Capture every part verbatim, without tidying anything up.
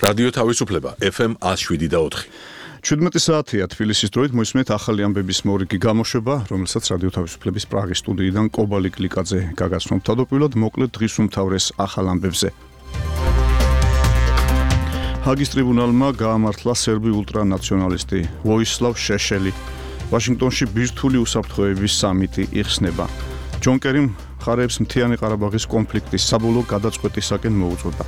რადიო თავისუფლება ეფ ემ one oh seven და four. შვიდმეტი საათია თბილისის დროით მოისმენთ ახალი ამბების მორიგი გამოშვება, რომელსაც რადიო თავისუფლების პრაღის სტუდიიდან კობალი კლიკაძე გაგაცნობთ. თავდაპირველად მოკლედ დღის უმთავრეს ახალ ამბებზე. ჰაგის ტრიბუნალმა გაამართლა სერბი ულტრანაციონალისტი ვოისლავ შეშელი. ვაშინგტონში ბირთვული უსაფრთხოების სამიტი იხსნება. ჯონ კერიმ მხარეებს მთიანი ყარაბაღის კონფლიქტის საბოლოო გადაწყვეტისაკენ მოუწოდა.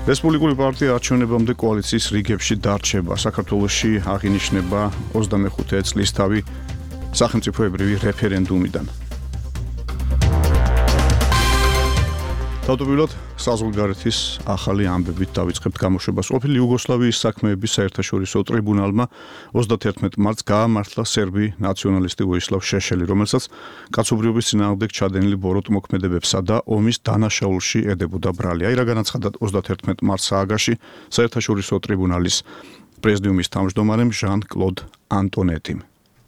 რესპუბლიკური პარტია არჩევნებამდე კოალიციის რიგებში დარჩება. საქართველოში აღინიშნება ოცდამეხუთე წლისთავი სახელმწიფოებრივი რეფერენდუმიდან. თავდაპირველად საზღვარგარეთის ახალი ამბებით დავიწყებთ გამოშვებას. ყოფილი იუგოსლავიის საქმეების საერთაშორისო ტრიბუნალმა ოცდათერთმეტ მარტს გაამართლა სერბი ნაციონალისტი ვოისლავ შეშელი, რომელსაც კაცობრიობის წინააღმდეგ ჩადენილი ბოროტ მოქმედებებსა და ომის დანაშაულში ედებოდა ბრალი. აი რა განაცხადა ოცდათერთმეტ მარტს ააგაში საერთაშორისო ტრიბუნალის პრეზიდიუმის თავმჯდომარემ ჟან-კლოდ ანტონეტიმ.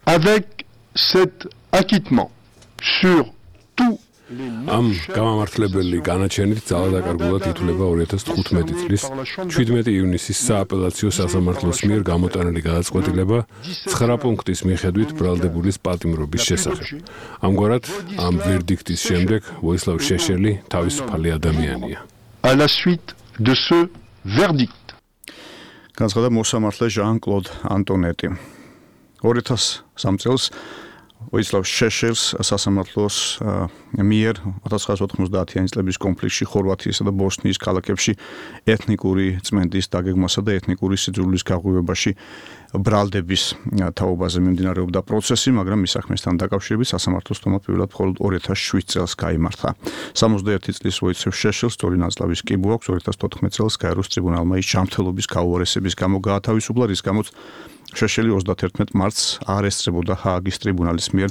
Avec cet acquittement sur tout ამ გამამართლებელი განაჩენით ძალადაკარგულად ითვლება ორი ათას თხუთმეტი წლის შვიდმეტი ივნისის სააპელაციო სასამართლოს მიერ გამოტანილი გადაწყვეტილება ცხრა პუნქტის მიხედვით ბრალდებულის პატიმრობის შესახებ. ამგვარად, ამ ვერდიქტის შემდეგ ვოისლავ შეშელი თავისუფალი ადამიანია. À la suite de ce verdict. განაცხადა მოსამართლე ჟან-კლოდ ანტონეტი. ორი ათას სამი წელს ვოისლავ შეშელს სასამართლოს მიერ ათას ცხრაასი ოთხმოცდაათიანი წლების კონფლიქტში ხორვატიისა და ბოსნიის ქალაქებში ეთნიკური წმენდის დაგეგმვასა და ეთნიკური სიძულვილის გაღვივებაში ბრალდების თაობაზე მიმდინარეობდა პროცესი, მაგრამ მის საქმესთან დაკავშირებით სასამართლოს თომა პირველად მხოლოდ ორი ათას შვიდ წელს გაიმართა. სამოცდაერთი წლის ვოისლავ შეშელს სწორი ნაწლავის კიბო აქვს. ორი ათას თოთხმეტ წელს გაეროს ტრიბუნალმა ის ჯანმრთელობის გაუარესების გამო გაათავისუფლა, რის გამოც შეშელი ოცდათერთმეტ მარტს არ ესწრებოდა ჰააგის ტრიბუნალის მიერ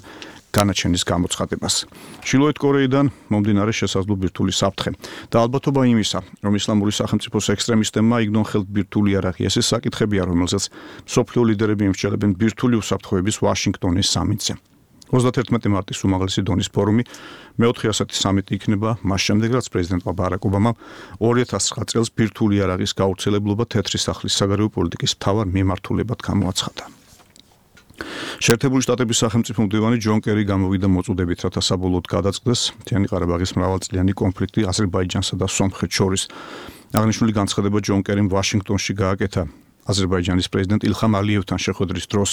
განაჩენის გამოცხადებას. ჩრდილოეთ კორეიდან მომდინარე შესაძლო ბირთვული საფრთხე და ალბათობა იმისა, რომ ისლამური სახელმწიფოს ექსტრემისტებმა იგნონ ხელთ ბირთვული იარაღი, ეს საკითხებია, რომელსაც მსოფლიო ლიდერები იმსჯელებენ ბირთვული უსაფრთხოების ვაშინგტონის სამიტზე. ოცდათერთმეტი მარტის უმაღლესი დონის ფორუმი მეოთხე ასეთი სამიტი იქნება მას შემდეგ, რაც პრეზიდენტმა ბარაკ ობამამ ორი ათას ცხრა წელს ბირთვული იარაღის გავრცელებლობა თეთრი სახლის საგარეო პოლიტიკის მთავარ მიმართულებად გამოაცხადა. შეერთებული შტატების სახელმწიფო მდივანი ჯონ კერი გამოვიდა მოწოდებით, რათა საბოლოოდ გადაწყდეს მთიანი ყარაბაღის მრავალწლიანი კონფლიქტი აზერბაიჯანსა და სომხეთს შორის. აღნიშნული განცხადება ჯონ კერიმ ვაშინგტონში გააკეთა აზერბაიჯანის პრეზიდენტ ილხამ ალიევთან შეხვედრის დროს.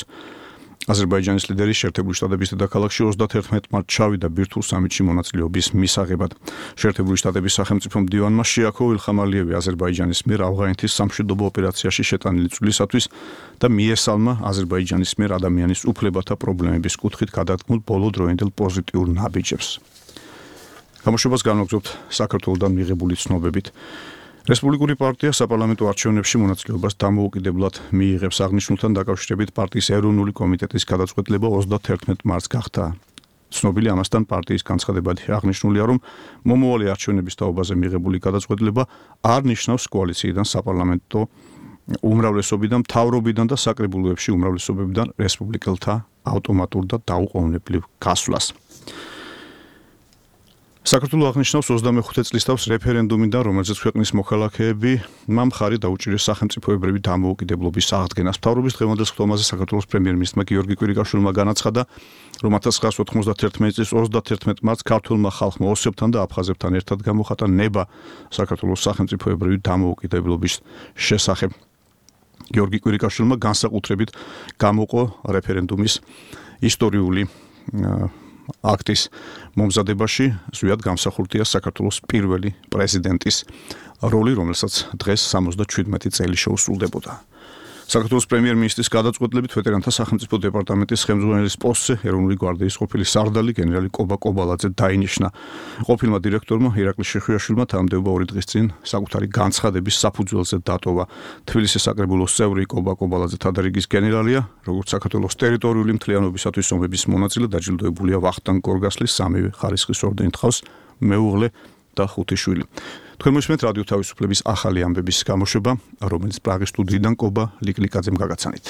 აზერბაიჯანის ლიდერი შეერთებული შტატების დედაქალაქში ოცდათერთმეტ მარტს ჩავიდა ბირთვულ სამიტში მონაწილეობის მისაღებად. შეერთებული შტატების სახელმწიფო მდივანმა შეაქო ილხამ ალიევი აზერბაიჯანის მიერ ავღანეთის სამშვიდობო ოპერაციაში შეტანილი წვლისათვის და მიესალმა აზერბაიჯანის მიერ ადამიანის უფლებათა პრობლემების კუთხით გადადგმულ ბოლოდროინდელ პოზიტიურ ნაბიჯებს. გამოშვებას განვაგრძობთ საქართველოდან მიღებული ცნობებით. რესპუბლიკური პარტია საპარლამენტო არჩევნებში მონაწილეობას დამოუკიდებლად მიიღებს. აღნიშნულთან დაკავშირებით პარტიის ეროვნული კომიტეტის გადაწყვეტილება ოცდათერთმეტ მარტს გახდა ცნობილი. ამასთან პარტიის განცხადებად აღნიშნულია, რომ მომავალი არჩევნების თაობაზე მიღებული გადაწყვეტილება არ ნიშნავს კოალიციიდან საპარლამენტო უმრავლესობიდან, მთავრობიდან და საკრებულოებში უმრავლესობებიდან რესპუბლიკელთა ავტომატურ და დაუყოვნებლივ გასვლას. საქართველოს აღნიშნავს ოცდამეხუთე წლისთავს რეფერენდუმიდან, რომელზეც ქვეყნის მოქალაქეები მხარი დაუჭირეს სახელმწიფოებრივი დამოუკიდებლობის აღდგენას. მთავრობის დღევანდელ სხდომაზე საქართველოს პრემიერ-მინისტრმა გიორგი კვირიკაშვილმა განაცხადა, რომ ათას ცხრაასი ოთხმოცდათერთმეტ წლის ოცდათერთმეტ მარტს ქართულმა ხალხმა ოსებთან და აფხაზებთან ერთად გამოხატა ნება საქართველოს სახელმწიფოებრივი დამოუკიდებლობის შესახებ. გიორგი კვირიკაშვილმა განსაკუთრებით გამოყო რეფერენდუმის ისტორიული აქტის მომზადებაში, ზუსტად გამსახურდია საქართველოს პირველი პრეზიდენტის როლი, რომელსაც დღეს სამოცდაშვიდმეტი წელი შეუსრულდებოდა. საქართველოს პრემიერ-მინისტრის გადაწყვეტილებით ვეტერანთა სახელმწიფო დეპარტამენტის ხელმძღვანელის პოსტზე ეროვნული გვარდიის ყოფილი სარდალი გენერალი კობა კობალაძე დაინიშნა. ყოფილმა დირექტორმა ირაკლი შეხვიაშვილმა თანამდებობა ორი დღის წინ საკუთარი განცხადების საფუძველზე დატოვა. თბილისის საკრებულოს წევრი კობა კობალაძე თადარიგის გენერალია, როგორც საქართველოს ტერიტორიული მთლიანობისათვის ომების მონაწილე დაჯილდოებულია ვახტანგ გორგასლის სამივე ხარისხის ორდენით ჰყავს მეუღლე და ხუთი შვილი. თქვენ მოსმენთ რადიო თავისუფლების ახალი ამბების გამოშვება, რომელიც პრაღის სტუდიიდან კობა ლიკლიკაძემ გაგაცანით.